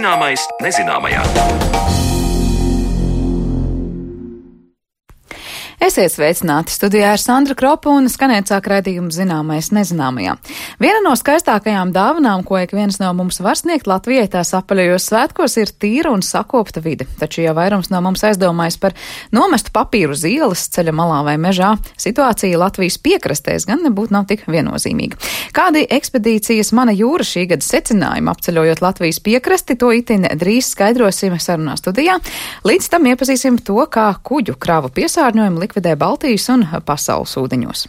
Zināmais nezināmajā. Esiet sveicināti! Studijā ir Sandra Kropa un skanēt sāk raidījumu Zināmais nezināmajā. Viena no skaistākajām dāvanām, ko ik viens no mums var sniegt Latvijai tās apaļajos svētkos, ir tīra un sakopta vide. Taču, ja vairums no mums aizdomājas par nomestu papīru uz ielas, ceļa malā vai mežā, situācija Latvijas piekrastēs gan nebūtu nav tik viennozīmīga. Kādi ekspedīcijas Mana jūra šī gada secinājumi apceļojot Latvijas piekrasti, to itin drīz skaidrosim sarunā studijā. Līdz tam iepazīsim to, kā kuģu kravu piesārņojumu likvidē Baltijas un pasaules ūdeņos.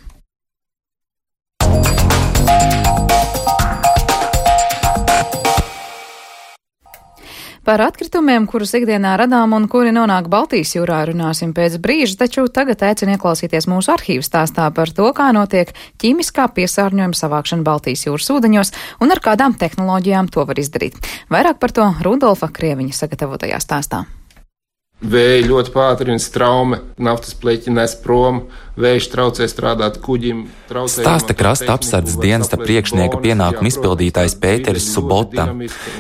Par atkritumiem, kurus ikdienā radām un kuri nonāk Baltijas jūrā, runāsim pēc brīža, taču tagad aicinu ieklausīties mūsu arhīvu stāstā par to, kā notiek ķīmiskā piesārņojuma savākšana Baltijas jūras ūdeņos un ar kādām tehnoloģijām to var izdarīt. Vairāk par to Rudolfa Krieviņa sagatavotajā stāstā. Vēja ļoti pātrina straume, naftas pleķi nes prom, vējš traucē strādāt kuģim. Stāsta krasta apsardzes dienesta priekšnieka pienākumu izpildītājs Pēteris Subota.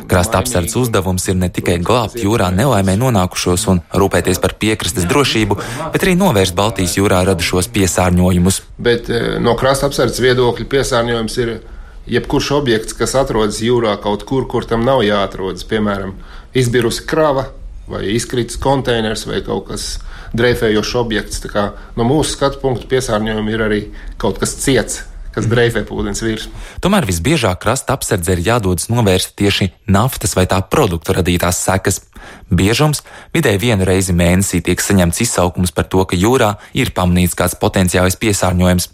Krasta apsardzes uzdevums ir ne tikai glābt jūrā nelaimē nonākušos un rūpēties par piekrastes drošību, bet arī novērst Baltijas jūrā radušos piesārņojumus. Bet no krasta apsardzes viedokļa piesārņojums ir jebkurš objekts, kas atrodas jūrā kaut kur, kur tam nav jāatrodas, piemēram, izbirusi krava, vai izkritis konteiners, vai kaut kas dreifējošs objekts. Tā kā no mūsu skatu punktu piesārņojumi ir arī kaut kas ciets, kas dreifē pa ūdens virsmu. Tomēr visbiežāk krasta apsardze ir jādodas novērst tieši naftas vai tā produktu radītās sekas. Biežums vidēji vienu reizi mēnesī tiek saņemts izsaukums par to, ka jūrā ir pamanīts kāds potenciālais piesārņojums.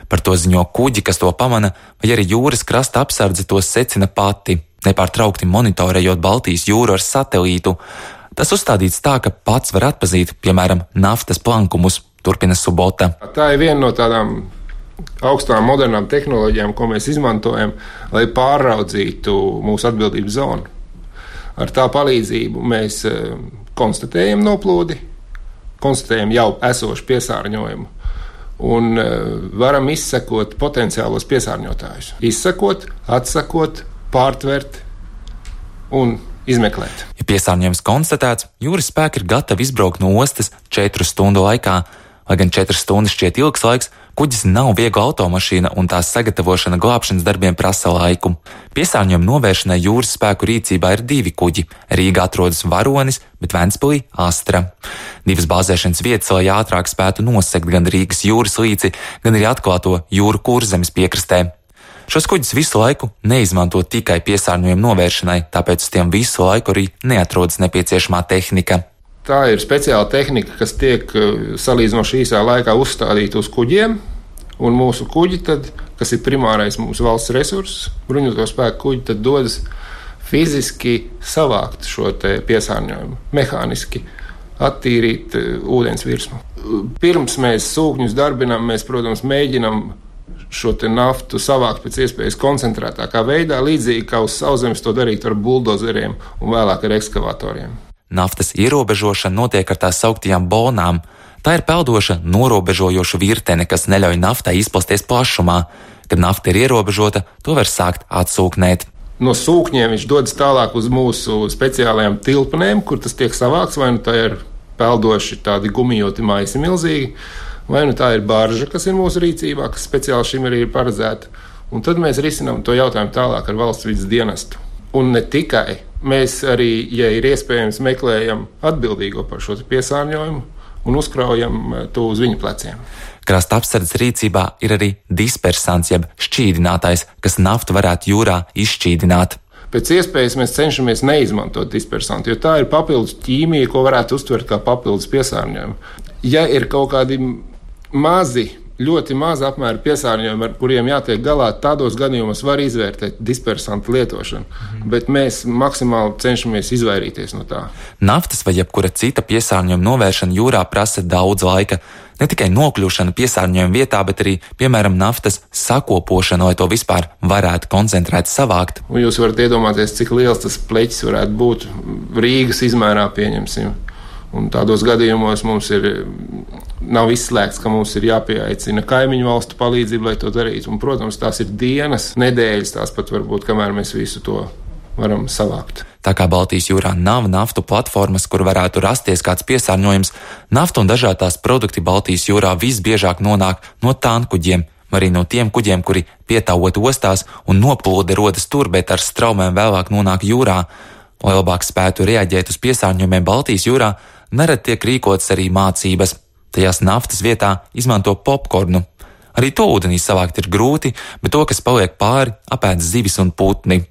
Par to ziņo kuģi, kas to pamana, vai arī jūras krasta apsardze tos secina pati, nepārtraukti monitorējot Baltijas jūru ar satelītu. Tas uzstādīts tā, ka pats var atpazīt, piemēram, naftas plankumus, turpina Subota. Tā ir viena no tādām augstām modernām tehnoloģijām, ko mēs izmantojam, lai pārraudzītu mūsu atbildības zonu. Ar tā palīdzību mēs konstatējam noplūdi, konstatējam jau esošu piesārņojumu un varam izsekot potenciālos piesārņotājus. Izsekot, atsakot, pārtvert un izmeklēt. Ja piesārņojums konstatēts, jūras spēki ir gatavi izbraukt no ostas 4 stundu laikā. Lai gan 4 stundas šķiet ilgs laiks, kuģis nav viegla automašīna un tās sagatavošana glābšanas darbiem prasa laiku. Piesārņojuma novēršanai jūras spēku rīcībā ir 2 kuģi. Rīgā atrodas Varonis, bet Ventspilī Astra. 2 bāzēšanas vietas, lai ātrāk spētu nosegt gan Rīgas jūras līci, gan arī atklāto jūru Kurzemes piekrastē. Šos kuģus visu laiku neizmanto tikai piesārņojuma novēršanai, tāpēc uz tiem visu laiku arī neatrodas nepieciešamā tehnika. Tā ir speciāla tehnika, kas tiek salīdzinoši īsā laikā uzstādīta uz kuģiem, un mūsu kuģi, tad, kas ir primārais mūsu valsts resurss, bruņoto spēku kuģi, tad dodas fiziski savākt šo te piesārņojumu, mehāniski attīrīt ūdens virsmu. Pirms mēs sūkņus darbinām, mēs, protams, mēģinām šo te naftu savākt pēc iespējas koncentrētākā veidā, līdzīgi kā uz sauszemes to darīt ar buldozeriem un vēlāk ar ekskavatoriem. Naftas ierobežošana notiek ar tā sauktajām bonām. Tā ir peldoša, norobežojoša virtene, kas neļauj naftai izplasties plašumā. Kad nafta ir ierobežota, to var sākt atsūknēt. No sūkņiem viņš dodas tālāk uz mūsu speciālajām tilpnēm, kur tas tiek savākts, vai nu tā ir peldoši tādi gumijoti maisi milzīgi, vai nu tā ir barža, kas ir mūsu rīcībā, kas speciāli šim arī ir paredzēta. Un tad mēs risinām to jautājumu tālāk ar valsts vides dienestu. Un ne tikai. Mēs arī, ja ir iespējams, meklējam atbildīgo par šo piesārņojumu un uzkraujam to uz viņu pleciem. Krasta apsardzes rīcībā ir arī dispersants, jeb šķīdinātājs, kas naftu varētu jūrā izšķīdināt. Pēc iespējas mēs cenšamies neizmantot dispersantu, jo tā ir papildus ķīmija, ko varētu uztvert kā papildus piesārņojumu. Ja ir kaut kādi mazi, ļoti maza apmēra piesārņojumi, ar kuriem jātiek galā, tādos gadījumos var izvērtēt dispersantu lietošanu, bet mēs maksimāli cenšamies izvairīties no tā. Naftas vai jebkura cita piesārņojuma novēršana jūrā prasa daudz laika. Ne tikai nokļūšana piesārņojuma vietā, bet arī, piemēram, naftas sakopošana, lai to vispār varētu koncentrēt savākt. Un jūs varat iedomāties, cik liels tas pleķis varētu būt Rīgas izmērā, pieņemsim. Un tādos gadījumos mums nav izslēgts, ka mums ir jāpieaicina kaimiņu valstu palīdzību, lai to darītu. Un, protams, tās ir dienas, nedēļas, tās pat varbūt, kamēr mēs visu to varam savākt. Tā kā Baltijas jūrā nav naftu platformas, kur varētu rasties kāds piesārņojums, nafta un dažādās produkti Baltijas jūrā visbiežāk nonāk no tankuģiem, arī no tiem kuģiem, kuri pietāvot ostās un noplūde rodas tur, bet ar straumēm vēlāk nonāk jūrā. Lai labāk spētu reaģēt uz piesārņojumiem Baltijas jūrā, nerad tiek rīkotas arī mācības. Tajās naftas vietā izmanto popkornu. Arī to ūdenī savākt ir grūti, bet to, kas paliek pāri, apēd zivis un putni.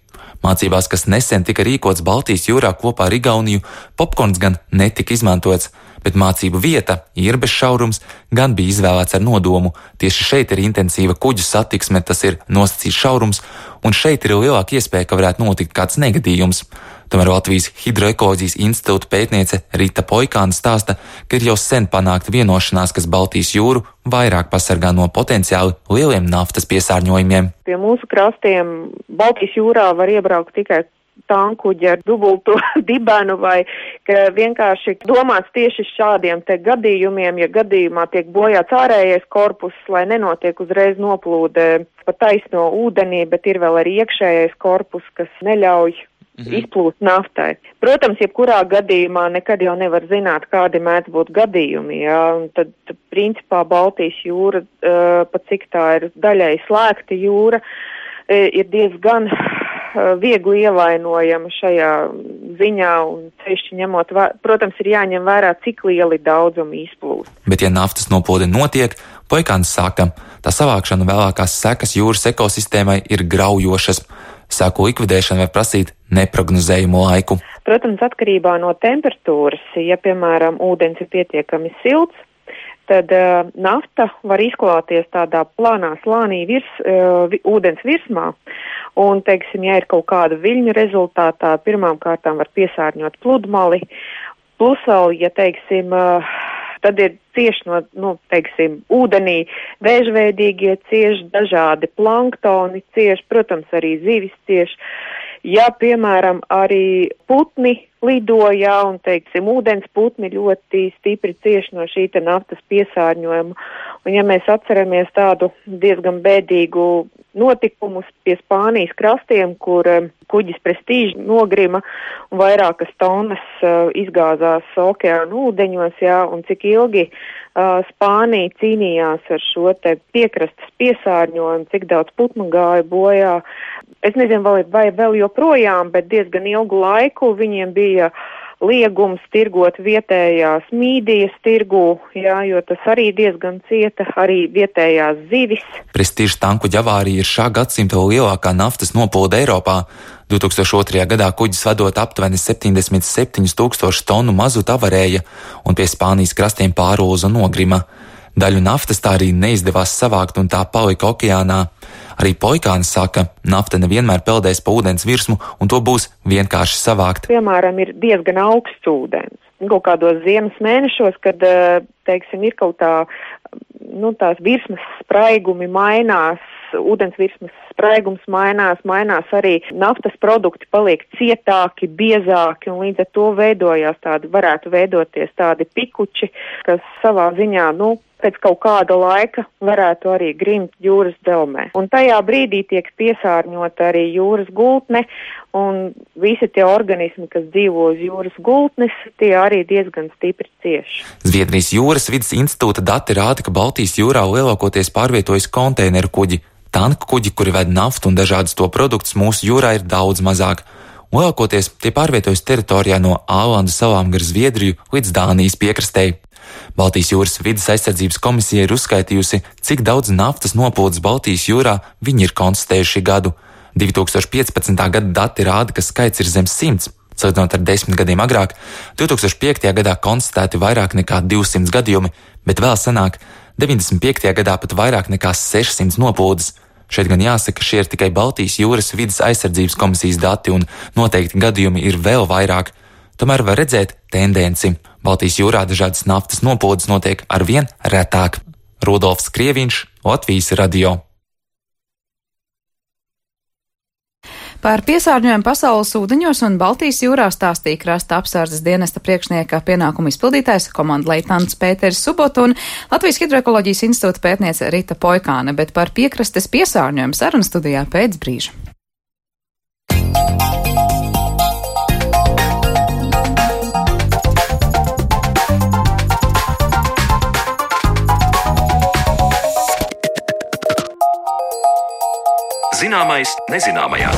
Mācībās, kas nesen tika rīkots Baltijas jūrā kopā ar Igauniju, popkorns gan netika izmantots, bet mācību vieta, Irbes šaurums, gan bija izvēlēts ar nodomu. Tieši šeit ir intensīva kuģu satiksme, tas ir nosacīts šaurums, un šeit ir lielāka iespēja, ka varētu notikt kāds negadījums. Tomēr Latvijas Hidroekoloģijas institūta pētniece Rita Poikāne stāsta, ka ir jau sen panākta vienošanās, kas Baltijas jūru vairāk pasargā no potenciāli lieliem naftas piesārņojumiem. Pie mūsu krastiem Baltijas jūrā var iebraukt tikai tankuģi ar dubultu dibenu vai ka vienkārši domāts tieši šādiem te gadījumiem, ja gadījumā tiek bojāts ārējais korpus, lai nenotiek uzreiz noplūde pa taisno ūdenī, bet ir vēl arī iekšējais korpus, kas neļauj izplūst naftai. Protams, jebkurā gadījumā nekad jau nevar zināt, kādi mēdz būt gadījumi, jā, un tad principā Baltijas jūra, pat cik tā ir daļai slēgta jūra, ir diezgan viegli ievainojama šajā ziņā, un sevišķi ņemot, protams, ir jāņem vērā, cik lieli daudzumi izplūst. Bet ja naftas noplūde notiek, Poikāns saka, tā savākšana vēlākās sekas jūras ekosistēmai ir graujošas. Sēku likvidēšana var prasīt neprognozējumu laiku. Protams, atkarībā no temperatūras, ja, piemēram, ūdens ir pietiekami silts, tad nafta var izklāties tādā plānā slānī ūdens virsmā. Un, teiksim, ja ir kaut kāda viļņu rezultātā, pirmām kārtām var piesārņot pludmali. Plus vēl, ja, teiksim, tad ir cieši no, teiksim, ūdenī vēžveidīgie cieši, dažādi planktoni cieši, protams, arī zivis cieši. Ja, piemēram, arī putni lidoja un, teiksim, ūdens putni ļoti stipri cieši no šī te naftas piesārņojuma. Un, ja mēs atceramies tādu diezgan bēdīgu notikumus pie Spānijas krastiem, kur kuģis Prestīža nogrima un vairākas tonnas izgāzās okeāna ūdeņos, jā, un cik ilgi Spānija cīnījās ar šo te piekrastes piesārņojumu, cik daudz putnu gāja bojā. Es nezinu, vai vēl joprojām, bet diezgan ilgu laiku viņiem bija liegums tirgot vietējās mīdijas tirgū, jā, jo tas arī diezgan cieta, arī vietējās zivis. Prestīžas tankuģa avārija ir šā gadsimta lielākā naftas noplūde Eiropā. 2002. gadā kuģis vadot aptuveni 77 000 tonu mazuta avarēja un pie Spānijas krastiem pārulza nogrima. Daļu naftas tā arī neizdevās savākt un tā palika okeānā. Arī Poikāne saka, nafta nevienmēr peldēs pa ūdens virsmu un to būs vienkārši savākt. Piemēram, ir diezgan augsts ūdens. Kaut kādos ziemas mēnešos, kad, teiksim, ir kaut tā, tās virsmas spraigumi mainās, ūdens virsmas spraigums mainās arī naftas produkti paliek cietāki, biezāki un līdz ar to varētu veidoties tādi pikuči, kas savā ziņā, pēc kaut kāda laika varētu arī grimt jūras delmē. Un tajā brīdī tiek piesārņota arī jūras gultne, un visi tie organismi, kas dzīvo uz jūras gultnes, tie arī diezgan stipri cieši. Zviedrijas jūras vides institūta dati rāda, ka Baltijas jūrā lielākoties pārvietojas konteineru kuģi. Tanku kuģi, kuri ved naftu un dažādus to produktus, mūsu jūrā ir daudz mazāk. Lielākoties tie pārvietojas teritorijā no Ālandu salām gar Zviedriju līdz Dānijas piekrastei. Baltijas jūras vides aizsardzības komisija ir uzskaitījusi, cik daudz naftas noplūdes Baltijas jūrā viņi ir konstatējuši gadu. 2015. gada dati rāda, ka skaits ir zem 100. Salīdzinot ar 10 gadiem agrāk, 2005. gadā konstatēti vairāk nekā 200 gadījumi, bet vēl senāk, 95. gadā pat vairāk nekā 600 noplūdes. Šeit gan jāsaka, šie ir tikai Baltijas jūras vides aizsardzības komisijas dati un noteikti gadījumi ir vēl vairāk. Tomēr var redzēt tendenci. Baltijas jūrā dažādas naftas noplūdes notiek arvien retāk. Rudolfs Krieviņš, Latvijas radio. Par piesārņojumu pasaules ūdeņos un Baltijas jūrā stāstīja krasta apsardzes dienesta priekšnieka pienākumu izpildītājs komandleitnants Pēteris Subot un Latvijas Hidroekoloģijas institūta pētniece Rita Poikāne, bet par piekrastes piesārņojumu sarunu studijā pēc brīža. Zināmais nezināmajā.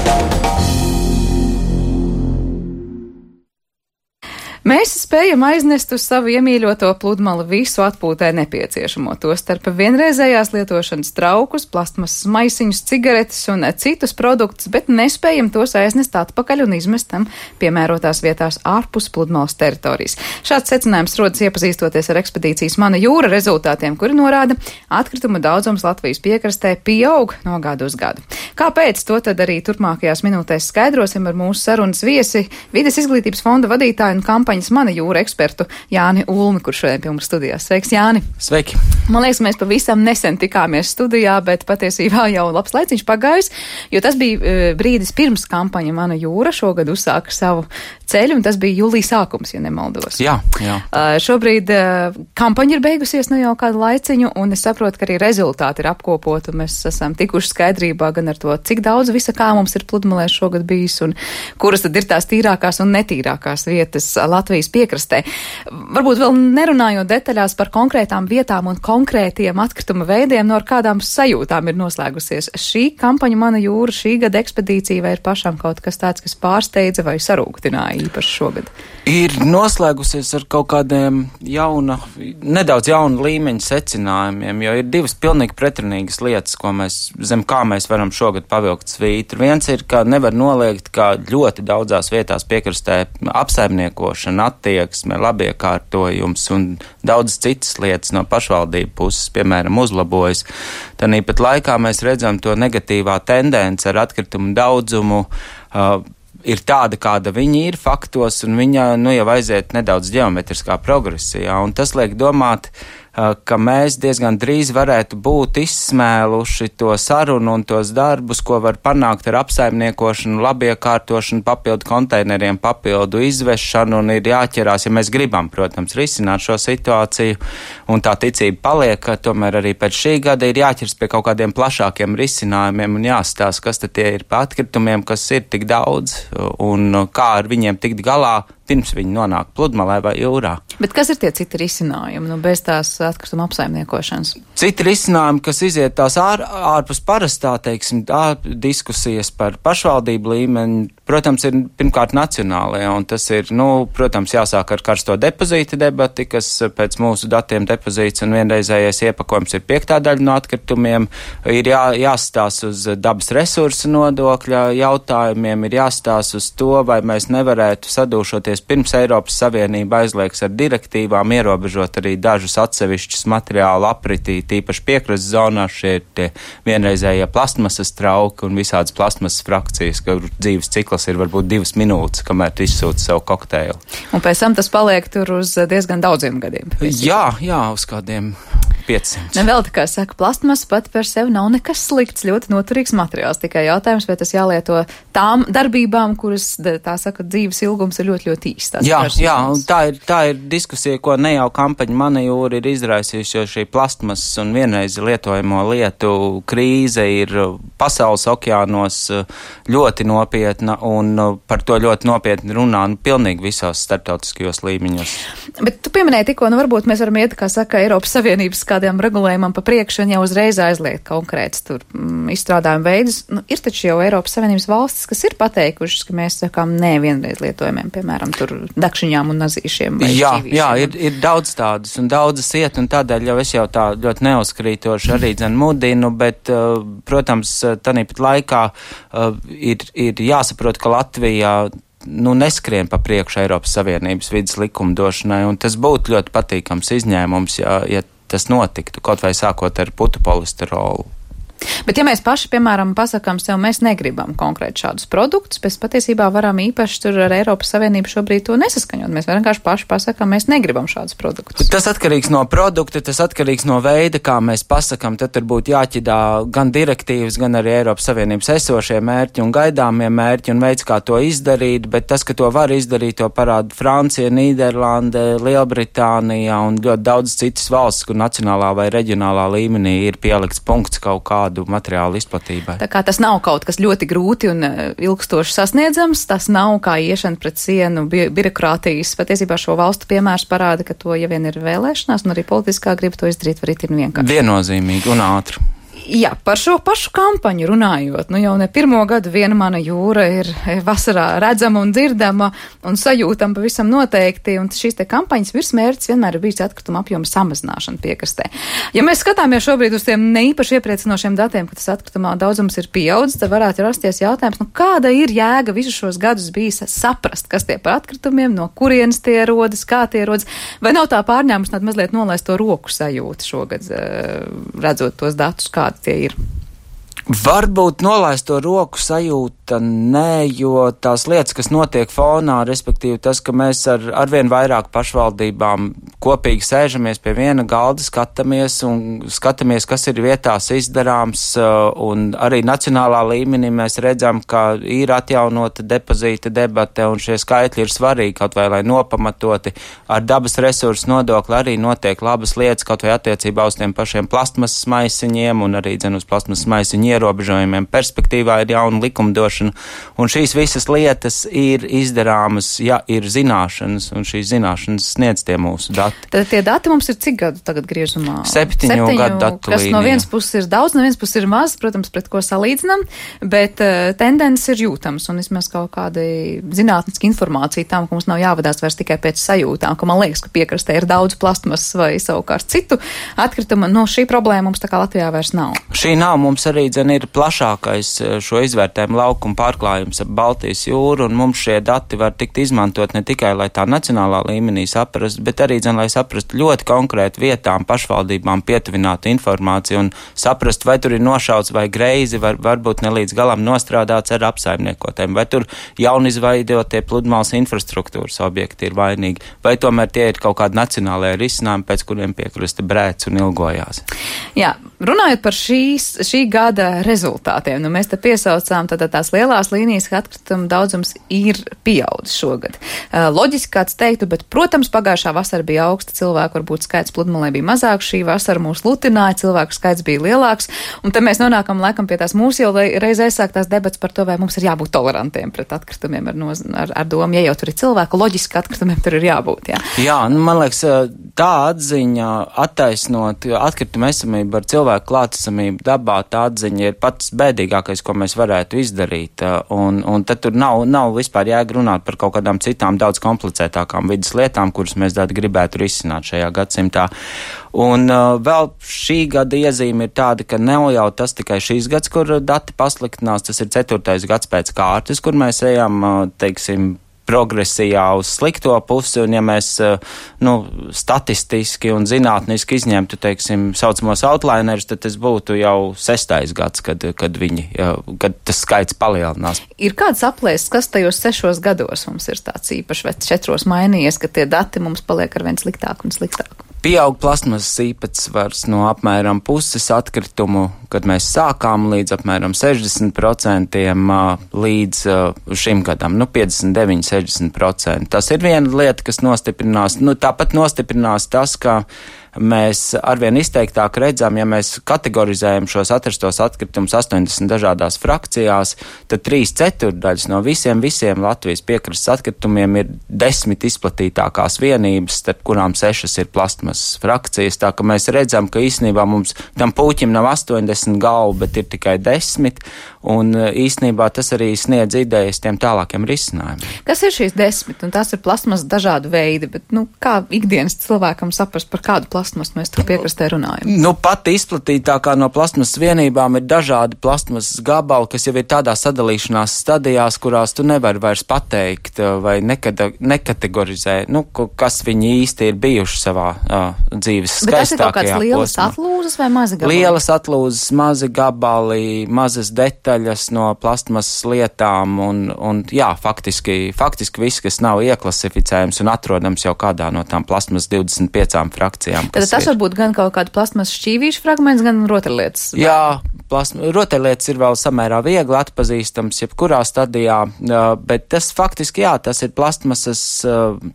Mēs spējam aiznest uz savu iemīļoto pludmali visu atpūtē nepieciešamo, tostarp vienreizējās lietošanas traukus, plastmasas maisiņus, cigaretes un citus produktus, bet nespējam tos aiznest atpakaļ un izmest tam piemērotās vietās ārpus pludmales teritorijas. Šāds secinājums rodas iepazīstoties ar ekspedīcijas Mana jūra rezultātiem, kuri norāda, atkrituma daudzums Latvijas piekrastē pieaug no gadu uz gadu. Kāpēc, to tad arī turpmākajās minūtēs skaidrosim ar mūsu sarunas viesi, Vides izglītības fonda vadītāju un kampaņas Mana jūra ekspertu Jāni Ulmi, kurš šodien pie mums studijās. Sveiks, Jāni! Sveiki! Man liekas, mēs pavisam nesen tikāmies studijā, bet patiesībā jau labs laiciņš pagājis, jo tas bija brīdis pirms kampaņa Mana jūra šogad uzsāka savu ceļu, un tas bija jūlija sākums, ja nemaldos. Jā. Šobrīd kampaņa ir beigusies nu jau kādu laiciņu, un es saprotu, ka arī rezultāti ir apkopoti, un mēs esam tikuši skaidrībā gan ar to, cik daudz visa kā mums ir pludmalē šogad bijis, un kuras tad ir tās tīrākās un netīrākās vietas Latvijas piekrastē. Varbūt vēl nerunājot detaļās par konkrētām vietām un konkrētiem atkrituma veidiem, no ar kādām sajūtām ir noslēgusies šī kampaņa Mana jūra, šī gada ekspedīcija, vai ir pašam kaut kas tāds, kas pārsteidza vai sarūktināja īpaši šogad? Ir noslēgusies ar kaut kādiem nedaudz jauna līmeņa secinājumiem, jo ir divas pilnīgi pretrunīgas lietas, zem kā mēs varam šogad pavilkt svītru. Viens ir, ka nevar noliegt, ka ļoti daudzās vietās piekrastē apsaimniekošana, attieksme, labiekārtojums un daudzas citas lietas no pašvaldību puses, piemēram, uzlabojas. Tāpat laikā mēs redzam to negatīvā tendence ar atkritumu daudzumu, ir tāda, kāda viņi ir faktos, un viņa jau aiziet nedaudz ģeometriskā progresijā, un tas liek domāt, ka mēs diezgan drīz varētu būt izsmēluši to sarunu un tos darbus, ko var panākt ar apsaimniekošanu, labiekārtošanu, papildu konteineriem, papildu izvešanu, un ir jāķerās, ja mēs gribam, protams, risināt šo situāciju, un tā ticība paliek, ka tomēr arī pēc šī gada ir jāķers pie kaut kādiem plašākiem risinājumiem un jāstāsta, kas tad tie ir pa atkritumiem, kas ir tik daudz, un kā ar viņiem tikt galā, pirms viņi nonāk pludmalē vai jūrā. Bet kas ir tie citi risinājumi, bez tās atkrituma apsaimniekošanas? Citi risinājumi, kas iziet tās ārpus parastā, diskusijas par pašvaldību līmeni, protams, ir pirmkārt nacionālajā, un tas ir, protams, jāsāk ar karsto depozīta debati, kas pēc mūsu datiem depozīts un vienreizējais iepakojums ir 5. daļa no atkritumiem, ir jāstās uz dabas resursu nodokļa jautājumiem, ir jāstās uz to, vai mēs nevarētu sadūšoties pirms Eiropas Savienība aizliegs ar direktīvām, ierobežot arī dažus atsevišķus materiālu apritī, tīpaši piekrastes zonā, šie ir tie vienreizējie plastmasas trauki un visādas plastmasas frakcijas, kur dzīves cikls ir varbūt 2 minūtes, kamēr tu izsūti savu kokteili. Un pēc tam tas paliek tur uz diezgan daudziem gadiem. Jā, uz kādiem 500. Vēl tā kā saka, plastmasa pati par sevi nav nekas slikts, ļoti noturīgs materiāls. Tikai jautājums, vai tas jālieto tām darbībām, kuras, tā saka, dzīves ilgums ir ļoti, ļoti īsts. Jā, un tā ir diskusija, ko ne jau kampaņa Mana jūra ir izraisījusi, jo šī plastmasas un vienreizi lietojamo lietu krīze ir pasaules okeānos ļoti nopietna, un par to ļoti nopietni runā pilnīgi visos starptautiskajos līmeņos. Bet tu pieminēji tikko, varbūt mēs varam iet, kā saka, Eiropas Savienības kādiem regulējumam pa priekšu un jau uzreiz aizliegt konkrēts tur izstrādājumu veidus. Ir taču jau Eiropas Savienības valstis, kas ir pateikušas, ka mēs sakām nē vienreiz lietojumiem, piemēram, tur dakšiņām un nazīšiem. Jā, ir daudz tādas un daudzas iet, un tādēļ jau es jau tā ļoti neuzkrītoši arī mudinu, bet, protams, tāpat laikā ir jāsaprot, ka Latvijā neskrien pa priekšu Eiropas Savienības vides likumdošanai, un tas būtu ļoti patīkams izņēmums, ja tas notiktu, kaut vai sākot ar putu polisterolu. Bet ja mēs paši, piemēram, pasakām sev, mēs negribam konkrēti šādus produktus, mēs patiesībā varam īpaši tur ar Eiropas Savienību šobrīd to nesaskaņot. Mēs vienkārši paši pasakām, mēs negribam šādus produktus. Tas atkarīgs no produkta, tas atkarīgs no veida, kā mēs pasakām. Tad tur būtu jāķidā gan direktīvas, gan arī Eiropas Savienības esošie mērķi un gaidāmie mērķi un veids, kā to izdarīt, bet tas, ka to var izdarīt, to parāda Francija, Nīderlande, Lielbritānija un ļoti daudz citas valsts, kur nacionālā vai reģionālā līmenī ir pielikts punkts kaut kādu materiālu izplatībai. Tā kā tas nav kaut kas ļoti grūti un ilgstoši sasniedzams, tas nav kā iešana pret sienu birokrātijas. Patiesībā šo valstu piemērs parāda, ka to, ja vien ir vēlēšanās un arī politiskā griba to izdarīt, var itin vienkārši. Viennozīmīgi un ātri. Jā, par šo pašu kampaņu runājot, jau ne pirmo gadu viena mana jūra ir vasarā redzama un dzirdama un sajūtama pavisam noteikti, un šīs te kampaņas virsmērķis vienmēr ir bijis atkrituma apjoma samazināšana piekrastē. Ja mēs skatāmies šobrīd uz tiem neīpaši iepriecinošiem datiem, ka tas atkritumā daudzums ir pieaudzis, tad varētu rasties jautājums, kāda ir jēga visus šos gadus bijis saprast, kas tie par atkritumiem, no kurienes tie rodas, kā tie rodas, vai nav tā pārņēmus mazliet nolaist to roku sajūtu šogad, redzot tos datus, kādi tie ir? Varbūt nolaist to roku sajūta nē, jo tās lietas, kas notiek fonā, respektīvi tas, ka mēs ar arvien vairāk pašvaldībām kopīgi sēžamies pie viena galda, skatāmies, kas ir vietās izdarāms, un arī nacionālā līmenī mēs redzam, ka ir atjaunota depozīta debate, un šie skaitļi ir svarīgi, kaut vai lai nopamatoti ar dabas resursu nodokli arī notiek labas lietas, kaut vai attiecībā uz tiem pašiem plastmasas maisiņiem, un arī uz plastmasas maisiņu ierobežojumiem. Perspektīvā ir jauna likumdošana, un šīs visas lietas ir izdarāmas, ja ir zināšanas, un šīs zināšanas sniedz tie mūsu dati. Tad tie dati mums ir cik gadu tagad griezumā? 7 gadu datu kas līnija. No vienas puses ir daudz, no vienas puses ir maz, protams, pret ko salīdzinām, bet tendences ir jūtams, un vismaz kaut kāda zinātniska informācija tam, ka mums nav jāvadās vairs tikai pēc sajūtām, ka man liekas, ka piekrastē ir daudz plastmasas vai savukārt citu atkritumu. Šī problēma mums tā kā Latvijā vairs nav. Šī nav, mums arī ir plašākais šo izvērtējumu laukuma pārklājums ap Baltijas jūru, un mums šie dati var tikt izmantot ne tikai, lai tā nacionālā līmenī saprastu, bet arī, lai saprastu ļoti konkrēti vietām, pašvaldībām pietuvinātu informāciju un saprast, vai tur ir nošauts vai greizi, varbūt ne līdz galam nostrādāts ar apsaimniekotēm, vai tur jaunizveidotie pludmales infrastruktūras objekti ir vainīgi, vai tomēr tie ir kaut kādi nacionālajie risinājumi, pēc kuriem piekrasta brēc un ilgojās. Jā, runājot par šī gada rezultātiem, mēs te piesaucām tās lielās līnijas, ka atkrituma daudzums ir pieaudzis šogad. Loģiski kāds teiktu, bet, protams, pagājušā vasara bija augsta, cilvēku varbūt skaits pludmalē bija mazāks, šī vasara mūs lutināja, cilvēku skaits bija lielāks, un te mēs nonākam laikam pie tās mūsu jau reiz aizsāktās debats par to, vai mums ir jābūt tolerantiem pret atkritumiem ar domu, ja jau tur ir cilvēku, loģiski atkritumiem tur ir jābūt, jā. Jā, man liekas, tā atziņa attaisnot atkrituma esamību ar cilvēku klātesamību dabā, tā atziņa ir pats bēdīgākais, ko mēs varētu izdarīt, un tad tur nav vispār jēga runāt par kaut kādām citām daudz komplicētākām vidas lietām, kuras mēs gribētu risināt šajā gadsimtā. Un vēl šī gada iezīme ir tāda, ka nav jau tas tikai šīs gads, kur dati pasliktinās, tas ir 4. gads pēc kārtas, kur mēs ejam, teiksim, progresijā uz slikto pusi, un ja mēs statistiski un zinātniski izņemtu, teiksim, saucamos outlinerus, tad tas būtu jau 6. gads, kad tas skaits palielinās. Ir kāds aplēses, kas tajos 6 gados mums ir tāds īpašs, vai 4 mainījies, ka tie dati mums paliek arvien sliktāk un sliktāk? Pieaug plasmasas īpatsvars no apmēram puses atkritumu, kad mēs sākām līdz apmēram 60% līdz šim gadam, 59-60%. Tas ir viena lieta, kas nostiprinās. Tāpat nostiprinās tas, ka mēs arvien izteiktāk redzam, ja mēs kategorizējam šos atrastos atkritumus 80 dažādās frakcijās, tad 3/4 no visiem Latvijas piekrastes atkritumiem ir 10 izplatītākās vienības, starp kurām 6 ir plastmasas frakcijas, tā ka mēs redzam, ka īstenībā mums tam puķim nav 80 galvu, bet ir tikai 10, un īstenībā tas arī sniedz idejas tiem tālākiem risinājumiem. Kas ir šīs 10? Un tās ir plastmasas dažādu veidu, bet kā ikdienas cilvēkam saprast, par kādu plastmasu mēs tur piekrastē runājam? Pati izplatītākā no plastmasas vienībām ir dažādi plastmasas gabali, kas jau ir tādā sadalīšanās stadijās, kurās tu nevari vairs pateikt vai nekategorizē, kas viņi īsti ir bijuši savā dzīves skaistākajā posmā. Bet tas ir kaut kāds lielas atlūzas vai mazi gabali? Lielas atlūzas, mazi gabali, mazas detaļas no plastmasas lietām un jā, faktiski viss, kas nav ieklasificējams un atrodams jau kādā no tām plastmasas 25 frakcijām. Tad tas var būt gan kaut kāda plasmasas šķīvīšu fragments, gan rotaļlietas. Jā, rotaļlietas ir vēl samērā viegli atpazīstams jebkurā stadijā, bet tas faktiski, jā, tas ir plastmasas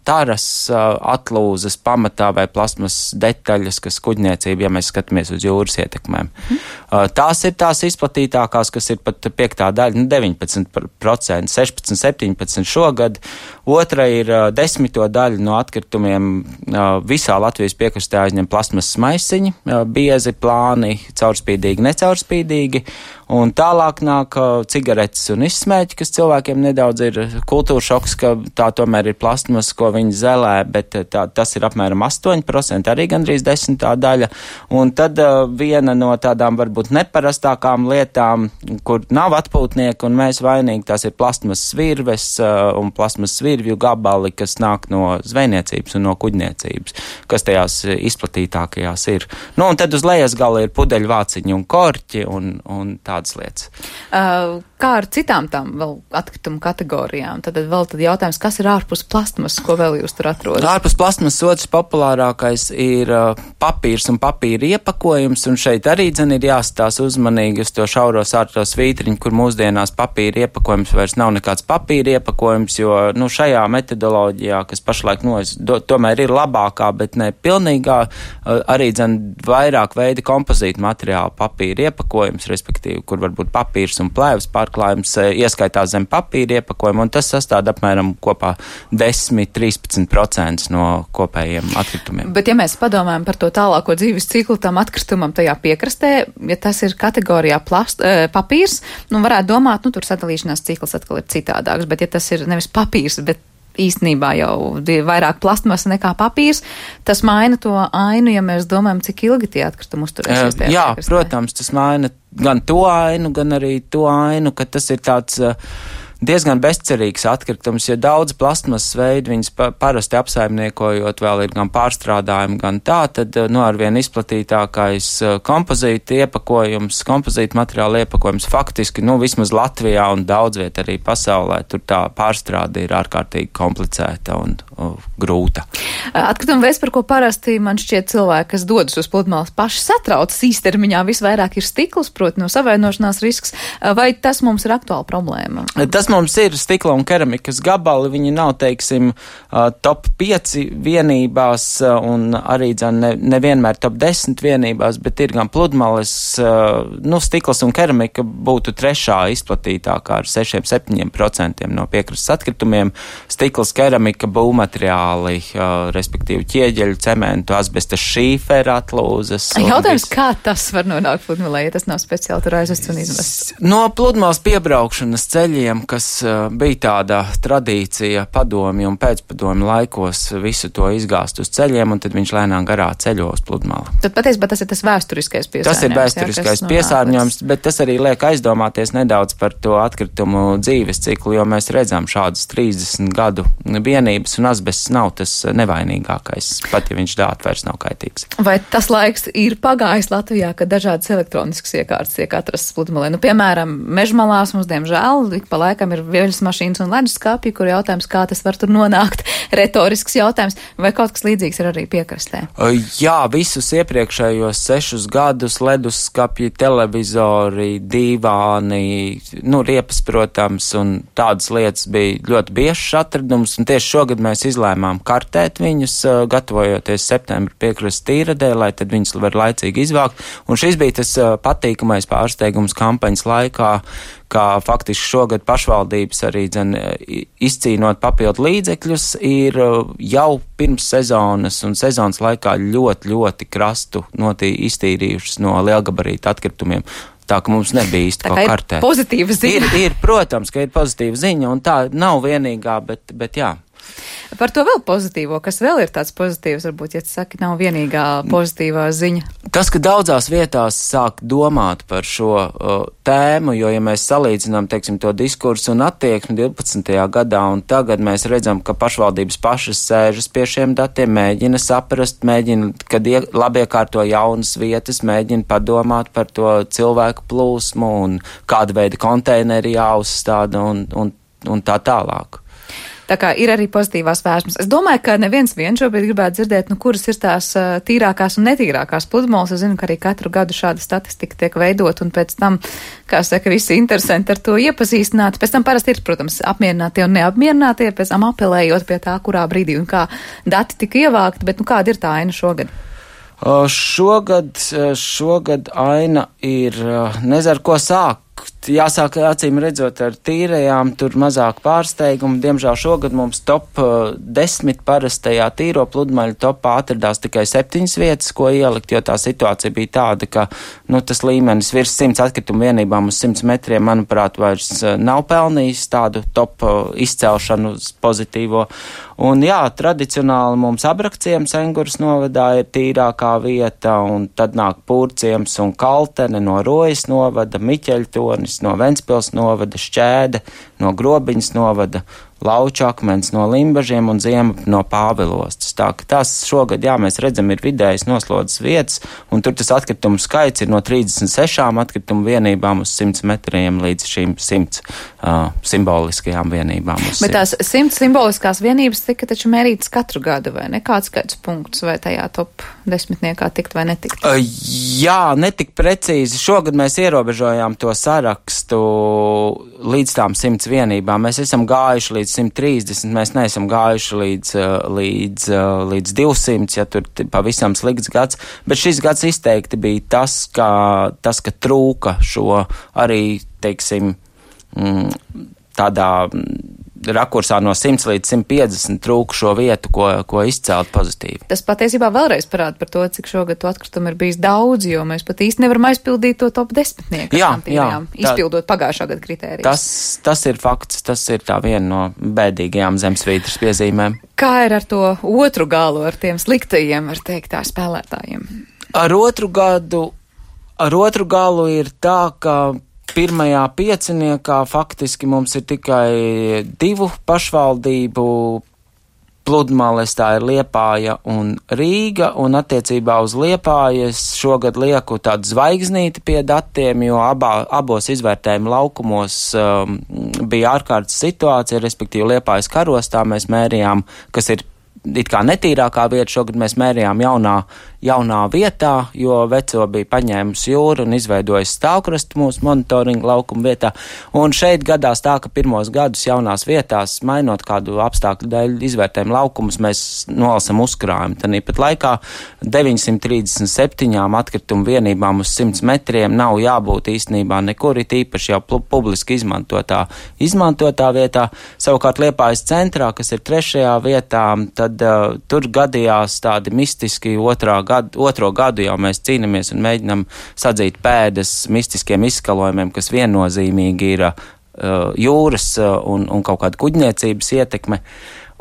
taras atlūzas pamatā vai plastmasas detaļas, kas kuģniecība, ja mēs skatāmies uz jūras ietekmēm. Tās ir tās izplatītākās, kas ir pat 5. daļa, 19%, 16, 17 šogad. Otra ir 10. daļa no atkritumiem visā Latvijas piekrastē jāizņem plasmasas maisiņi, biezi, plāni, caurspīdīgi, necaurspīdīgi. Un tālāk nāk cigaretes un izsmēķi, kas cilvēkiem nedaudz ir kultūra šoks, ka tā tomēr ir plasmas, ko viņi zelē, bet tas ir apmēram 8%, arī gandrīz 10. daļa. Un tad viena no tādām varbūt neparastākām lietām, kur nav atpūtnieki un mēs vainīgi, tās ir plasmas svirves un plasmas svirvju gabali, kas nāk no zvejniecības un no kuģniecības, kas tajās izplatītākajās ir. Nu, un tad uz lejas gala ir pudeļvāciņi un korķi un tādas lietas. Kā ar citām tām vēl atkritumu kategorijām? Tad jautājums, kas ir ārpus plastmas, ko vēl jūs tur atrodat? Ārpus plastmas otrs populārākais ir papīrs un papīra iepakojums, un šeit arī ir jāstās uzmanīgi uz to šauro sārto svītriņu, kur mūsdienās papīra iepakojums vairs nav nekāds papīra iepakojums, jo šajā metodoloģijā, kas pašlaik tomēr ir labākā, bet ne pilnīgā, arī vairāk veidi kompozīta materiāla papīra iepakojums, respektīvi, kur varbūt papīrs un plēvas pārklājums ieskaitās zem papīra iepakojuma, un tas sastāv apmēram kopā 10–13% no kopējiem atkritumiem. Bet ja mēs padomājam par to tālāko dzīves ciklu tam atkritumam tajā piekrastē, ja tas ir kategorijā papīrs, varētu domāt, tur sadalīšanās cikls atkal ir citādāks, bet ja tas ir nevis papīrs, bet īstenībā jau vairāk plastmasa nekā papīrs, tas maina to ainu, ja mēs domājam, cik ilgi tie atkritumi uzturēsies. Jā, protams, tas maina gan to ainu, gan arī to ainu, ka tas ir tāds diezgan bezcerīgs atkritums, jo daudz plastmasas veidu viņas parasti apsaimniekojot vēl ir gan pārstrādājumi, gan tā, tad arvien izplatītākais kompozīta iepakojums, kompozīta materiāla iepakojums faktiski, vismaz Latvijā un daudz viet arī pasaulē, tur tā pārstrāde ir ārkārtīgi komplicēta un grūta. Atkrituma veids, par ko parasti man šķiet cilvēki, kas dodas uz pludmales, paši satraucas īstermiņā, visvairāk ir stikls, proti no savainošanās risks, vai tas mums ir aktuāla problēma? Tas mums ir stikla un keramikas gabali, viņi nav, teiksim, top 5 vienībās un arī nevienmēr top 10 vienībās, bet ir gan pludmales, stikls un keramika būtu trešā izplatītākā ar 6–7% no piekrastes atkritumiem, stikls, keramika, būvmateriāli, respektīvi ķieģeļu, cementu, asbesta šīfera atlūzes. Jautājums, kā tas var nonākt pludmalē, ja tas nav speciāli tur aizvests un izvests? No pludmales piebraukšanas ceļiem, kas bija tāda tradīcija padomju un pēcpadomju laikos visu to izgāzt uz ceļiem, un tad viņš lēnām garā ceļo uz pludmali. Tad patiesībā tas ir tas vēsturiskais piesārņojums. Tas ir vēsturiskais piesārņojums, bet tas arī liek aizdomāties nedaudz par to atkritumu dzīves ciklu, jo mēs redzam šādas 30 gadu vienības, un asbests nav tas nevainīgākais, pat ja viņš dāt vairs nav kaitīgs. Vai tas laiks ir pagājis Latvijā, ka dažādas elektroniskas iekārtas tiek atrastas pludmalē? Piemēram, mežmalās mums, diemžēl, ik pa laikam ir veļas mašīnas un leduskapji, kur jautājums, kā tas var tur nonākt, retorisks jautājums, vai kaut kas līdzīgs ir arī piekrastē? Jā, visus iepriekšējos 6 gadus leduskapji, televizori, dīvāni, riepas, protams, un tādas lietas bija ļoti biežs atradums, un tieši šogad mēs izlēmām kartēt viņus, gatavojoties septembra piekrastes tīradē, lai tad viņus var laicīgi izvākt, un šis bija tas patīkamais pārsteigums kampaņas laikā, kā faktiski šogad pašvaldības arī izcīnot papildu līdzekļus, ir jau pirms sezonas un sezonas laikā ļoti krastu iztīrījušas no lielgabarīta atkritumiem. Tā, ka mums nebija īsti ko kartēt. Ir pozitīva ziņa. Ir, protams, ka ir pozitīva ziņa, un tā nav vienīgā, bet jā. Par to vēl pozitīvo, kas vēl ir tāds pozitīvs, varbūt, ja tu saki, nav vienīgā pozitīvā ziņa. Tas, ka daudzās vietās sāk domāt par šo tēmu, jo, ja mēs salīdzinām, teiksim, to diskursu un attieksmi 12. gadā, un tagad mēs redzam, ka pašvaldības pašas sēžas pie šiem datiem, mēģina saprast, kad labiekārto jaunas vietas, mēģina padomāt par to cilvēku plūsmu un kāda veida konteineri jāuzstāda un tā tālāk. Tā kā ir arī pozitīvās vēsmas. Es domāju, ka neviens vien šobrīd gribētu dzirdēt, kuras ir tās tīrākās un netīrākās pludmales. Es zinu, ka arī katru gadu šāda statistika tiek veidot, un pēc tam, kā saka, visi interesanti ar to iepazīstināt. Pēc tam parasti ir, protams, apmierinātie un neapmierinātie, pēc tam apelējot pie tā, kurā brīdī un kā dati tika ievākti, bet kāda ir tā aina šogad? Šogad aina ir, nezinu, ko sākt jāsāk acīm redzot ar tīrajām, tur mazāk pārsteigumu. Diemžēl šogad mums top 10 parastajā tīro pludmaļu topā atradās tikai 7 vietas, ko ielikt, jo tā situācija bija tāda, ka tas līmenis virs 100 atkritumu vienībām uz 100 metriem, manuprāt, vairs nav pelnījis tādu top izcelšanu uz pozitīvo. Un jā, tradicionāli mums Abrakciems Engures novadā ir tīrākā vieta, un tad nāk Pūrciems un Kaltene no Rojas novada, Miķeļtonis no Ventspils novada, Šķēde no Grobiņas novada, Lauču akmens no Limbažiem un Ziema no Pāvilostas. Tā ka tas šogad, jā, mēs redzam, ir vidējas noslodzes vietas, un tur tas atkritumu skaits ir no 36 atkritumu vienībām uz 100 metriem līdz šīm 100 simboliskajām vienībām. Bet tās 100 simboliskās vienības tika taču mērītas katru gadu, vai ne? Kāds skaits punkts, vai tajā top 10 tikt vai netikt? Jā, netik precīzi. Šogad mēs ierobežojām to sarakstu līdz tām 100 vienībām. Mēs esam gājuši līdz 130, mēs neesam gājuši līdz 200, ja tur pavisam slikts gads, bet šis gads izteikti bija tas, ka trūka šo arī, teiksim, tādā rakursā no 100 līdz 150 trūka šo vietu, ko izcelt pozitīvi. Tas patiesībā vēlreiz parāda par to, cik šogad to atkritumu ir bijis daudz, jo mēs pat īsti nevaram aizpildīt to top 10, izpildot pagājušā gada kritērijas. Tas ir fakts, tas ir tā viena no bēdīgajām zemesvītras piezīmēm. Kā ir ar to otru galu, ar tiem sliktajiem, var teikt, tā spēlētājiem? Ar otru galu ir tā, ka pirmajā pieciniekā faktiski mums ir tikai 2 pašvaldību pludmales, tā ir Liepāja un Rīga, un attiecībā uz Liepājas šogad lieku tādu zvaigznīti pie datiem, jo abos izvērtējuma laukumos bija ārkārtas situācija, respektīvi Liepājas karostā mēs mērījām, kas ir it kā netīrākā vieta, šogad mēs mērījām jaunā vietā, jo veco bija paņēmusi jūru un izveidojis stāvkrastu mūsu monitoringa laukuma vietā. Un šeit gadās tā, ka pirmos gadus jaunās vietās, mainot kādu apstākļu dēļ izvērtējumu laukumus, mēs nolasam uzkrājumu. Tāpat laikā 937 atkritumu vienībām uz 100 metriem nav jābūt īstenībā nekur, it īpaši jau publiski izmantotā vietā. Savukārt Liepājas centrā, kas ir 3. vietā, tad tur gadījās tādi mistiski otro gadu jau mēs cīnamies un mēģinam sadzīt pēdas mistiskiem izskalojumiem, kas viennozīmīgi ir jūras un kaut kāda kuģniecības ietekme.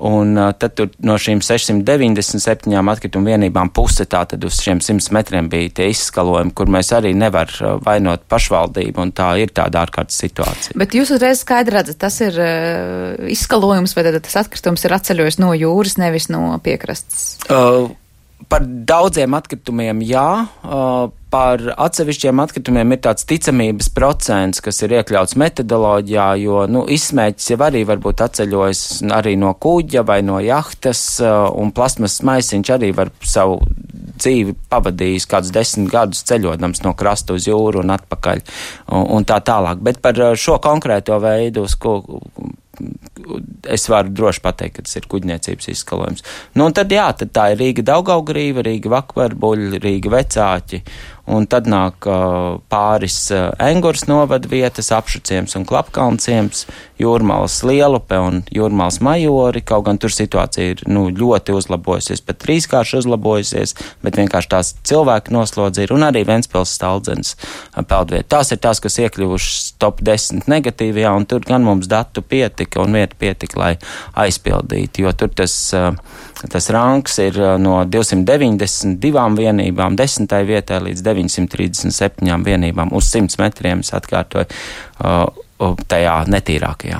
Un tad tur no šīm 697 atkritumu vienībām puse tātad uz šiem 100 metriem bija tie izskalojumi, kur mēs arī nevar vainot pašvaldību, un tā ir tāda ārkārtas situācija. Bet jūs uzreiz skaidri redzat, tas ir izskalojums, vai tad tas atkritums ir atceļojis no jūras, nevis no piekrastes? Par daudziem atkritumiem jā, par atsevišķiem atkritumiem ir tāds ticamības procents, kas ir iekļauts metodoloģijā, jo, izsmēķis jau arī varbūt atceļojas arī no kuģa vai no jahtas, un plasmas maisiņš arī var savu dzīvi pavadījis kādus 10 gadus ceļodams no krasta uz jūru un atpakaļ, un tā tālāk. Bet par šo konkrēto veidu, uz ko es varu droši pateikt, ka tas ir kuģniecības izskalojums. Un tad tā ir Rīga Daugavgrīva, Rīga Vakverbuļi, Rīga Vecāķi, un tad nāk pāris Engures novada vietas, Apšuciems un Klapkalnciems, Jūrmalas Lielupe un Jūrmalas Majori, kaut gan tur situācija ir ļoti uzlabojusies, pat 3-kārši uzlabojusies, bet vienkārši tās cilvēku noslodzi ir, un arī Ventspils Staldzens peldvieta. Tās ir tās, kas iekļuvušas top 10 negatīvajā, un tur gan mums datu pietika un vieta pietika, lai aizpildītu, jo tur tas ranks ir no 292 vienībām 10. vietai līdz 937 vienībām uz 100 metriem, es atkārtoju, tajā netīrākajā.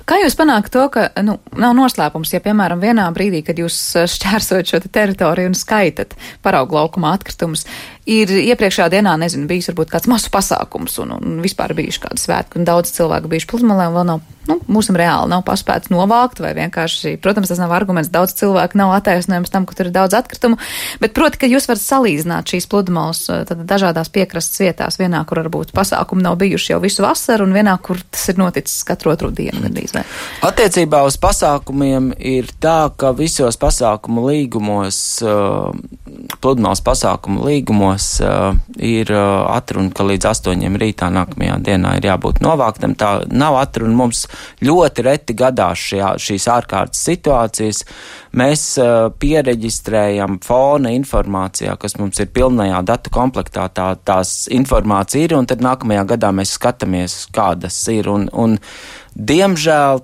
Kā jūs panākat to, ka, nav noslēpums, ja, piemēram, vienā brīdī, kad jūs šķērsojat šo teritoriju un skaitat paraugu laukumā atkritumus, ir iepriekšējā dienā, nezinu, bijis varbūt kāds masu pasākums un vispār bijuši kādi svētki, un daudz cilvēku bijuši pludmalē un vēl nav, mūsim reāli nav paspēts novākt, vai vienkārši, protams, tas nav arguments, daudz cilvēku nav attaisnojums tam, ka tur ir daudz atkritumu, bet proti, ka jūs varat salīdzināt šīs pludmales dažādās piekrastes vietās, vienā, kur varbūt pasākumi nav bijuši jau visu vasaru, un vienā, kur tas ir noticis katru otru dienu. Attiecībā uz pasākumiem ir tā, ka visos pasākumu līgumos pludmales pasākumu līgumos ir atruna, ka līdz 8 rītā nākamajā dienā ir jābūt novāktam. Tā nav atruna. Mums ļoti reti gadās šīs ārkārtas situācijas. Mēs piereģistrējam fona informācijā, kas mums ir pilnajā datu komplektā, tās informācija ir, un tad nākamajā gadā mēs skatāmies, kādas ir. Un diemžēl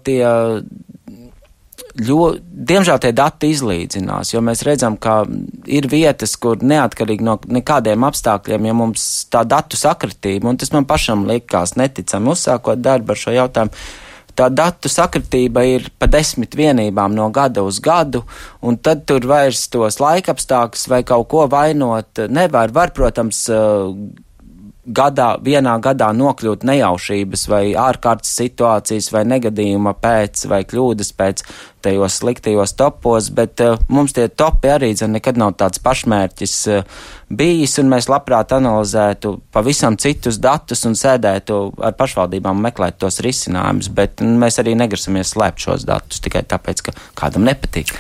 tie dati izlīdzinās, jo mēs redzam, ka ir vietas, kur neatkarīgi no nekādiem apstākļiem, ja mums tā datu sakritība, un tas man pašam likās neticami uzsākot darbu ar šo jautājumu, tā datu sakritība ir pa 10 vienībām no gada uz gadu, un tad tur vairs tos laikapstākļus vai kaut ko vainot nevar. Var, protams, vienā gadā nokļūt nejaušības vai ārkārtas situācijas vai negadījuma pēc vai kļūdas pēc tajos sliktajos topos, bet mums tie topi arī nekad nav tāds pašmērķis bijis, un mēs labprāt analizētu pavisam citus datus un sēdētu ar pašvaldībām un meklētu tos risinājumus, bet mēs arī negrasamies slēpt šos datus tikai tāpēc, ka kādam nepatīk.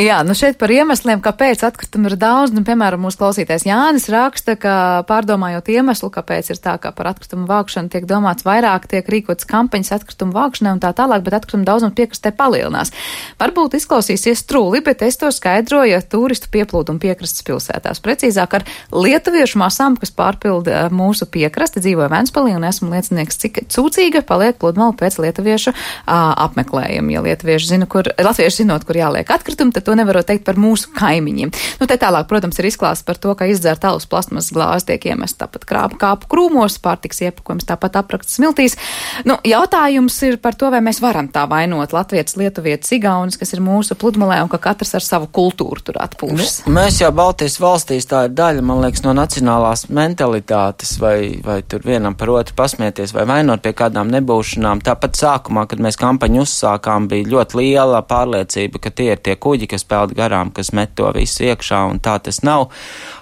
Jā, šeit par iemesliem, kāpēc atkritumu ir daudz, piemēram, mūsu klausītājs Jānis raksta, ka pārdomājot iemeslu, kāpēc ir tā, ka par atkritumu vākšanu tiek domāts vairāk, tiek rīkotas kampaņas atkritumu vākšanai un tā tālāk, bet atkritumu daudzums piekrastē palielinās. Varbūt izklausīsies trūli, bet es to skaidroju turistu pieplūdumu piekrastes pilsētās. Precīzāk ar lietuviešu masām, kas pārpilda mūsu piekrasti, dzīvoju Ventspilī un esmu liecinieks, cik cūcīga paliek pludmale pēc lietuviešu apmeklējuma. Ja latvieši zinot, kur jāliek atkritumi, tad to nevarot teikt par mūsu kaimiņiem. Te tālāk, protams, ir izklāsts par to, ka izdzērt alus plasmasas glāzi tiek iemest tāpat kāpu krūmos, pārtiks iepakojums tāpat aprakts smiltīs. Jautājums ir par to, vai mēs varam tā vainot latvietis, lietuvietis, igaunis, kas ir mūsu pludmalē un ka katrs ar savu kultūru tur atpūšas. Mēs jau Baltijas valstīs tā ir daļa, man liekas, no nacionālās mentalitātes vai tur vienam par otru pasmieties vai vainot pie kādām nebūšanām. Tāpat sākumā, kad mēs kampaņu uzsākām, bija ļoti liela pārliecība, ka tie ir tie kuģi, kas peld garām, kas met to visu iekšā, un tā tas nav.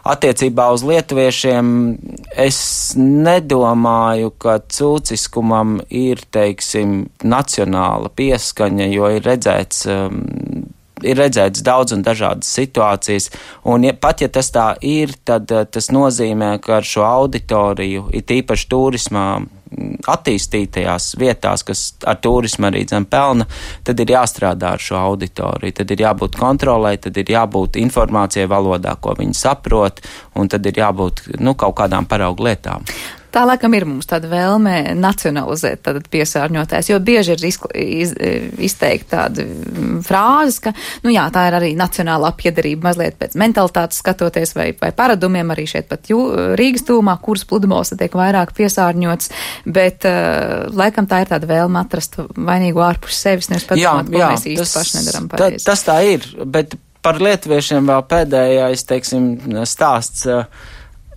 Attiecībā uz lietuviešiem es nedomāju, ka cūciskumam ir, teiksim, nacionāla pieskaņa, jo ir redzēts daudz un dažādas situācijas, un pat ja tas tā ir, tad tas nozīmē, ka ar šo auditoriju, it īpaši turismā attīstītajās vietās, kas ar turismu arī pelna, tad ir jāstrādā ar šo auditoriju, tad ir jābūt kontrolē, tad ir jābūt informācijai valodā, ko viņi saprot, un tad ir jābūt kaut kādām paraugu lietām. Tā laikam ir mums tāda vēlme nacionalizēt tātad piesārņotājs, jo bieži ir izteikti tāda frāzes, ka, tā ir arī nacionālā piederība mazliet pēc mentalitātes skatoties vai paradumiem arī šeit pat Rīgas tūmā, kuras pludmales tiek vairāk piesārņots, bet laikam tā ir tāda vēlme atrast vainīgu ārpus sevis, nevis padomāt, ko mēs īsti paši nedaram pareizi. Tas tā ir, bet par lietuviešiem vēl pēdējais, teiksim, stāsts.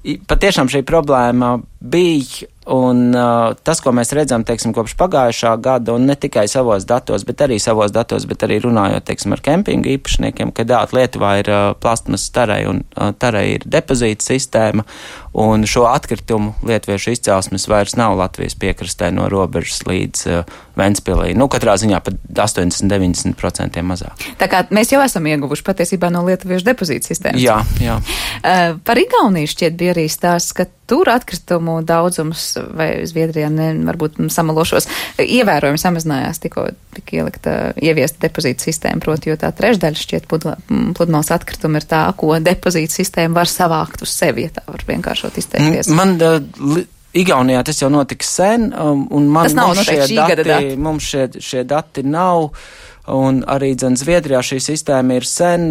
Patiešām šī problēma bija, un tas, ko mēs redzam, teiksim, kopš pagājušā gada, un ne tikai savos datos, bet arī runājot, teiksim, ar kempingu īpašniekiem, ka Lietuvā ir plastmasas tarai, un tarai ir depozīta sistēma, un šo atkritumu lietuviešu izcelsmes vairs nav Latvijas piekrastē no robežas līdz Ventspilī. Katrā ziņā pat 80-90% mazāk. Tā kā mēs jau esam ieguvuši patiesībā no lietuviešu depozīta sistēmas. Jā. Par Igauniju šķiet bija arī stāsts, ka tur atkritumu daudzums, vai Zviedrijā varbūt samalošos, ievērojami samazinājās tikko ieviesta depozīta sistēma, proti, jo tā trešdaļa šķiet pludmales atkritumi ir tā, ko depozīta sistēma var savākt uz sevi, ja tā var vienkāršot izteikties. Igaunijā tas jau notika sen, un mums šie dati nav, un arī Zviedrijā šī sistēma ir sen,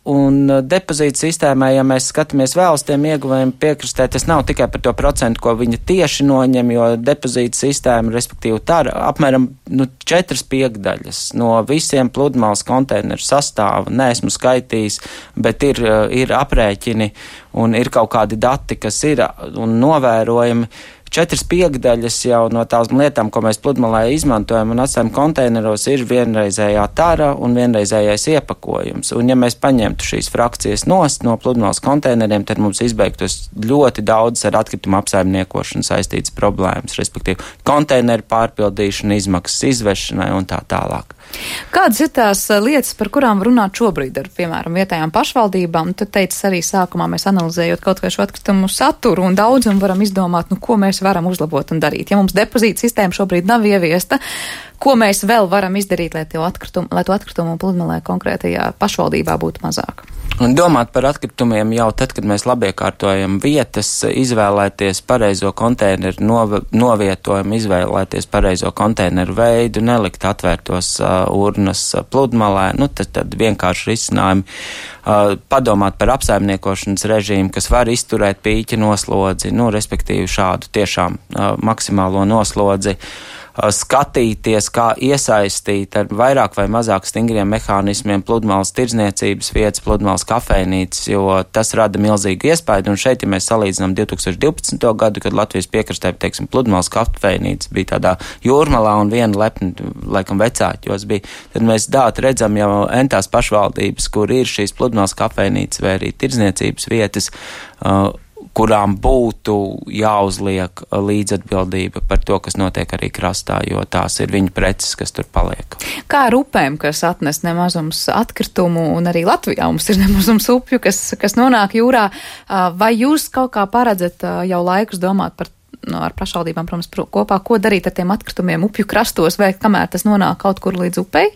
un depozīta sistēmai, ja mēs skatāmies vēl uz tiem ieguvējiem piekrastē, tas nav tikai par to procentu, ko viņa tieši noņem, jo depozīta sistēma, respektīvi tā apmēram 4/5 no visiem pludmales konteineru sastāva, neesmu skaitījis, bet ir aprēķini un ir kaut kādi dati, kas ir un novērojami. 4/5 jau no tās lietām, ko mēs pludmalē izmantojam un atstājam konteineros, ir vienreizējā tara un vienreizējais iepakojums. Un ja mēs paņemtu šīs frakcijas nost no pludmales konteineriem, tad mums izbeigtos ļoti daudz ar atkritumu apsaimniekošanu saistītas problēmas, respektīvi konteineru pārpildīšana, izmaksas izvešanai un tā tālāk. Kādas ir tās lietas, par kurām runāt šobrīd ar, piemēram, vietējām pašvaldībām? Tu teici arī sākumā, mēs analizējot kaut vai šo atkritumu saturu un daudzumu varam izdomāt, ko mēs varam uzlabot un darīt. Ja mums depozīta sistēma šobrīd nav ieviesta, ko mēs vēl varam izdarīt, lai to atkritumu pludmalē konkrētajā pašvaldībā būtu mazāk? Un domāt par atkritumiem jau tad, kad mēs labiekārtojam vietas, izvēlēties pareizo konteineru novietojumu, izvēlēties pareizo konteineru veidu, nelikt atvērtos urnas pludmalē, tad vienkārši risinājumi. Padomāt par apsaimniekošanas režīmu, kas var izturēt pīķa noslodzi, respektīvi šādu tiešām maksimālo noslodzi. Skatīties, kā iesaistīt ar vairāk vai mazāk stingriem mehānismiem pludmales tirdzniecības vietas, pludmales kafejnīcas, jo tas rada milzīgu iespaidu. Un šeit, ja mēs salīdzinām 2012. gadu, kad Latvijas piekrastē, teiksim, pludmales kafejnīca bija tādā Jūrmalā un viena lepni, laikam, Vecāķos bija, tad mēs redzam jau entās pašvaldības, kur ir šīs pludmales kafejnīcas vai arī tirdzniecības vietas, kurām būtu jāuzliek līdzatbildība par to, kas notiek arī krastā, jo tās ir viņa preces, kas tur paliek. Kā ar upēm, kas atnes nemazums atkritumu, un arī Latvijā mums ir nemazums upju, kas nonāk jūrā, vai jūs kaut kā paredzat jau laikus domāt par ar pašvaldībām, protams, kopā, ko darīt ar tiem atkritumiem upju krastos, vai kamēr tas nonāk kaut kur līdz upei?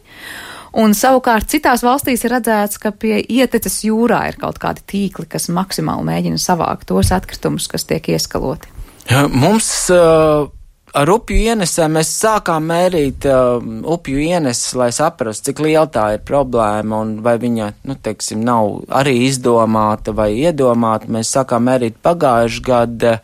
Un savukārt citās valstīs ir redzēts, ka pie ieteces jūrā ir kaut kādi tīkli, kas maksimāli mēģina savākt tos atkritumus, kas tiek ieskaloti. Mums ar upju ienesēm mēs sākām mērīt upju ieneses, lai saprastu, cik liela tā ir problēma un vai viņa, nav arī izdomāta vai iedomāta. Mēs sākām mērīt pagājuši gadu.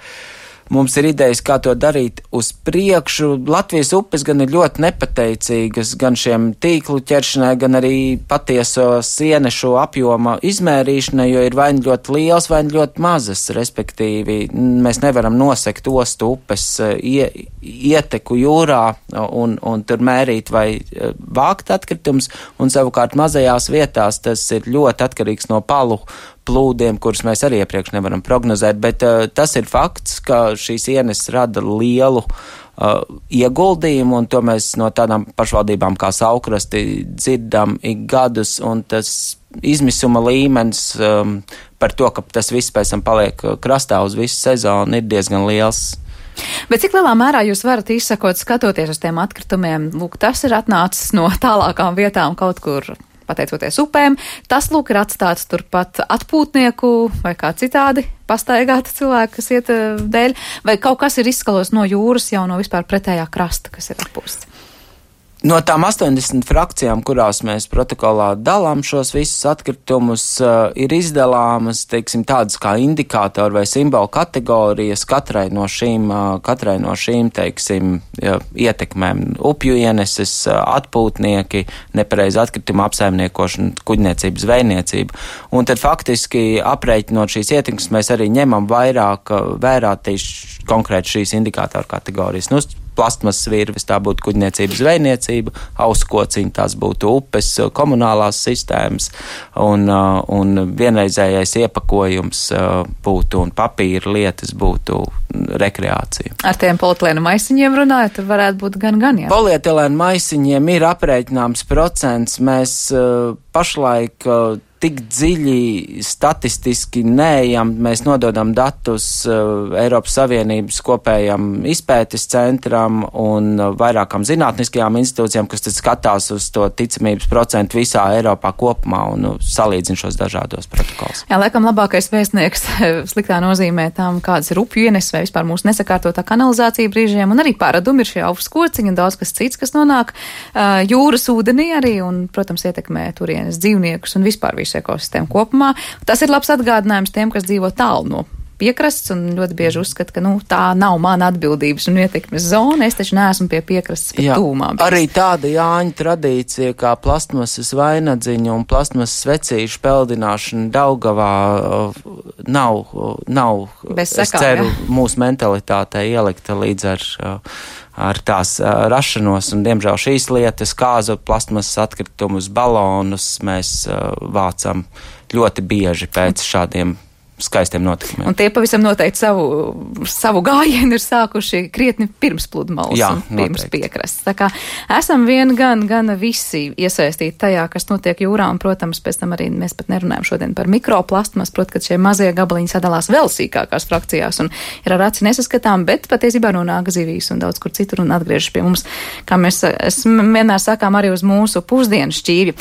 Mums ir idejas, kā to darīt uz priekšu. Latvijas upes gan ir ļoti nepateicīgas gan šiem tīklu ķeršanai, gan arī patieso sienešu apjoma izmērīšanai, jo ir vai ļoti liels, vai ļoti mazas, respektīvi. Mēs nevaram nosekt ostu upes ieteku jūrā un tur mērīt vai vākt atkritumus, un savukārt mazajās vietās tas ir ļoti atkarīgs no palu plūdiem, kurus mēs arī iepriekš nevaram prognozēt, bet tas ir fakts, ka šīs ieneses rada lielu ieguldījumu, un to mēs no tādām pašvaldībām kā Saukrasti dzirdam ik gadus, un tas izmisuma līmenis par to, ka tas viss pēc tam paliek krastā uz visu sezonu, ir diezgan liels. Bet cik lielā mērā jūs varat izsakot, skatoties uz tiem atkritumiem, lūk, tas ir atnācis no tālākām vietām kaut kur, pateicoties upēm, tas, lūk, ir atstāts turpat atpūtnieku vai kā citādi pastaigāta cilvēka, kas iet dēļ, vai kaut kas ir izskalos no jūras jau no vispār pretējā krasta, kas ir atpūsts? No tām 80 frakcijām, kurās mēs protokolā dalām šos visus atkritumus, ir izdalāmas, teiksim, tādas kā indikātori vai simbolu kategorijas katrai no šīm, teiksim, ietekmēm. Upju ieneses, atpūtnieki, nepareiza atkrituma apsaimniekošana, kuģniecība, zvejniecība. Un tad faktiski aprēķinot šīs ietekmes, mēs arī ņemam vairāk vērā tieši konkrēti šīs indikātoru kategorijas. Plastmasas virves, tā būtu kuģniecība, zvejniecība, auskociņi, tās būtu upes, komunālās sistēmas, un vienreizējais iepakojums būtu, un papīra lietas būtu rekreācija. Ar tiem polietilēnu maisiņiem runājot, tur varētu būt gan, jā. Polietilēnu maisiņiem ir aprēķināms procents, mēs pašlaik tik dziļi statistiski neejam, mēs nododam datus Eiropas Savienības kopējam izpētes centram un vairākām zinātniskajām institūcijām, kas tad skatās uz to ticamības procentu visā Eiropā kopumā un salīdzina šos dažādos protokols. Jā, laikam labākais vēstnieks sliktā nozīmē tam, kādas ir upju ieneses vai vispār mūsu nesakārtotā kanalizācija brīžiem, un arī paradumi ir šie auskociņi un daudz kas cits, kas nonāk jūras ūdenī arī un, protams, ietekmē turienes dzīvniekus un vispār visu ekosistēmu kopumā. Tas ir labs atgādinājums tiem, kas dzīvo tālu no piekrasts un ļoti bieži uzskata, ka tā nav mana atbildības un ietekmes zona, es taču neesmu pie piekrastes pat tūmā. Arī tāda Jāņu tradīcija kā plastmasas vainadziņu un plastmasas svecīšu peldināšana Daugavā nav bez sekām, es ceru, mūsu mentalitātei ielikta līdz ar tās rašanos, un diemžēl šīs lietas, kāzu plastmasas atkritumus, balonus mēs vācam ļoti bieži pēc šādiem skaistiem notikumiem. Un tie pavisam noteikti savu gājienu ir sākuši krietni pirms pludmales un pirms piekrastes. Tā kā esam gan visi iesaistīti tajā, kas notiek jūrā, un, protams, pēc tam arī mēs pat nerunājam šodien par mikroplastmas, protams, ka šie mazie gabaliņi sadalās vēl sīkākās frakcijās un ir ar aci nesaskatām, bet patiesībā nonāk zivīs un daudz kur citur un atgriežas pie mums, kā mēs vienmēr sakām, arī uz mūsu pusdienu šķīvi.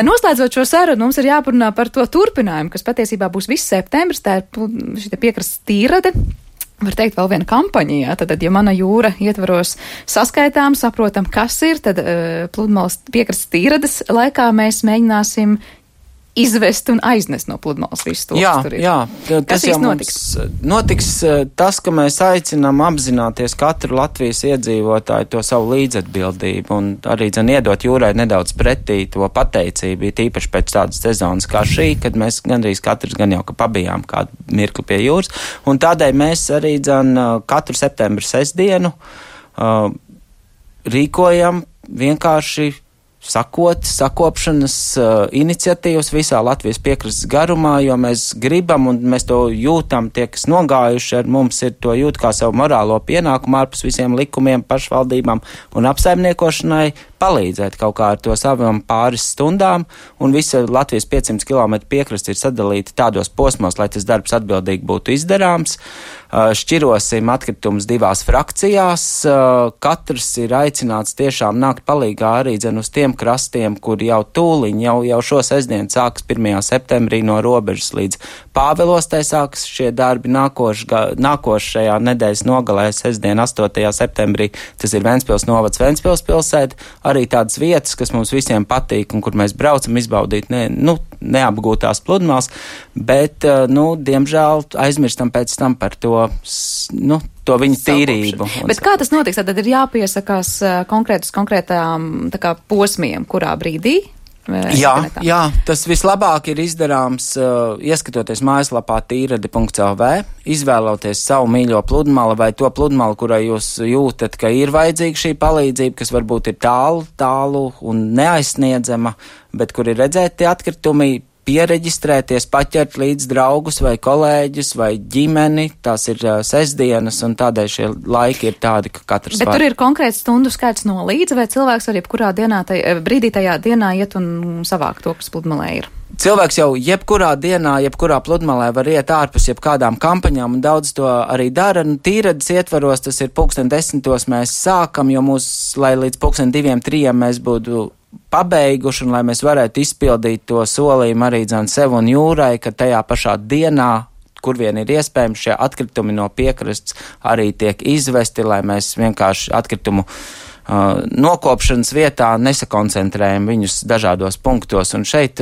Noslēdzot šo sarunu, mums ir jāparunā par to turpinājumu, kas patiesībā būs viss septembris. Tā ir šī piekrastes tīrade. Var teikt, vēl viena kampaņa, jā. Tad, ja mana jūra ietvaros saskaitām, saprotam, kas ir, tad pludmales piekrastes tīrades laikā mēs mēģināsim izvest un aiznest no pludmales visu to, kas tur ir. Jā, kas jau notiks tas, ka mēs aicinām apzināties katru Latvijas iedzīvotāju to savu līdzatbildību un arī iedot jūrai nedaudz pretī to pateicību, tīpaši pēc tādas sezonas kā šī, kad mēs gandrīz katrs gan jau ka pabijām kādu mirkli pie jūras, un tādēļ mēs arī katru septembra sestdienu rīkojam vienkārši sakopšanas iniciatīvas visā Latvijas piekrastes garumā, jo mēs gribam un mēs to jūtam, tie, kas nogājuši ar mums, ir to jūt kā savu morālo pienākumu ārpus visiem likumiem, pašvaldībām un apsaimniekošanai palīdzēt kaut kā ar to savām pāris stundām, un visa Latvijas 500 km piekraste ir sadalīta tādos posmos, lai tas darbs atbildīgi būtu izdarāms. Šķirosim atkritumus 2 frakcijās, katrs ir aicināts tiešām nākt palīgā arī uz tiem krastiem, kur jau tūliņ, jau šo sestdienu sāks 1. septembrī no Robežas līdz Pāvilostai sāks šie darbi nākošajā nedēļas nogalē, sestdien 8. septembrī, tas ir Ventspils novads Ventspils pilsēta, arī tādas vietas, kas mums visiem patīk un kur mēs braucam izbaudīt neapgūtās pludmales, bet, diemžēl aizmirstam pēc tam par to, to viņu tīrību. Bet kā tas notiks? Tad ir jāpiesakās konkrētām posmiem, kurā brīdī? Jā, tas vislabāk ir izdarāms, ieskatoties mājaslapā tīrade.lv, izvēloties savu mīļo pludmali vai to pludmali, kurai jūs jūtat, ka ir vajadzīga šī palīdzība, kas varbūt ir tālu un neaizsniedzama, bet kur ir redzēti atkritumi, piereģistrēties, paķert līdz draugus vai kolēģus vai ģimeni, tās ir sestdienas un tādēļ šie laiki ir tādi, ka katrs Bet tur ir konkrēts stundu skaits no līdzi, vai cilvēks var jebkurā brīdī tajā dienā iet un savākt to, kas pludmalē ir? Cilvēks jau jebkurā dienā, jebkurā pludmalē var iet ārpus jebkādām kampaņām, un daudz to arī dara. Tīrades ietvaros tas ir 10:00 mēs sākam, jo lai līdz 2:00-3:00 mēs būtu pabeiguši, un lai mēs varētu izpildīt to solījumu arī sev un jūrai, ka tajā pašā dienā, kur vien ir iespējams, šie atkritumi no piekrastes arī tiek izvesti, lai mēs vienkārši atkritumu nokopšanas vietā nesakoncentrējam viņus dažādos punktos. Un šeit,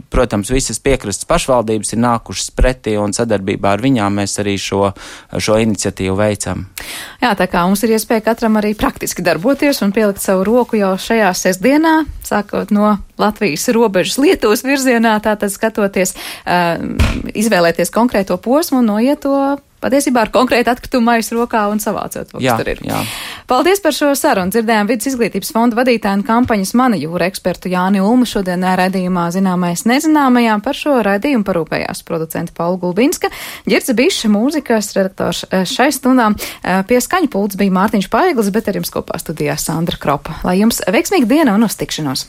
protams, visas piekrastes pašvaldības ir nākušas pretī, un sadarbībā ar viņām mēs arī šo iniciatīvu veicam. Jā, tā kā mums ir iespēja katram arī praktiski darboties un pielikt savu roku jau šajā sestdienā, sākot no Latvijas robežas Lietuvas virzienā, tātad skatoties, izvēlēties konkrēto posmu un noiet to patiesībā ar konkrētu atkritumu maisu rokā un savācot, kas tur ir. Jā. Paldies par šo sarunu. Dzirdējām Vides izglītības fonda vadītāju un kampaņas Mana jūra ekspertu Jāni Ulmu. Šodien raidījumā Zināmais nezināmajām par šo raidījumu parūpējās producenta Paula Gulbinska, Ģirce Biša, mūzikas redaktors šai stundām. Pie skaņu pults bija Mārtiņš Paiglis, bet ar jums kopā studijā Sandra Kropa. Lai jums veiksmīga diena un uz tikšanos!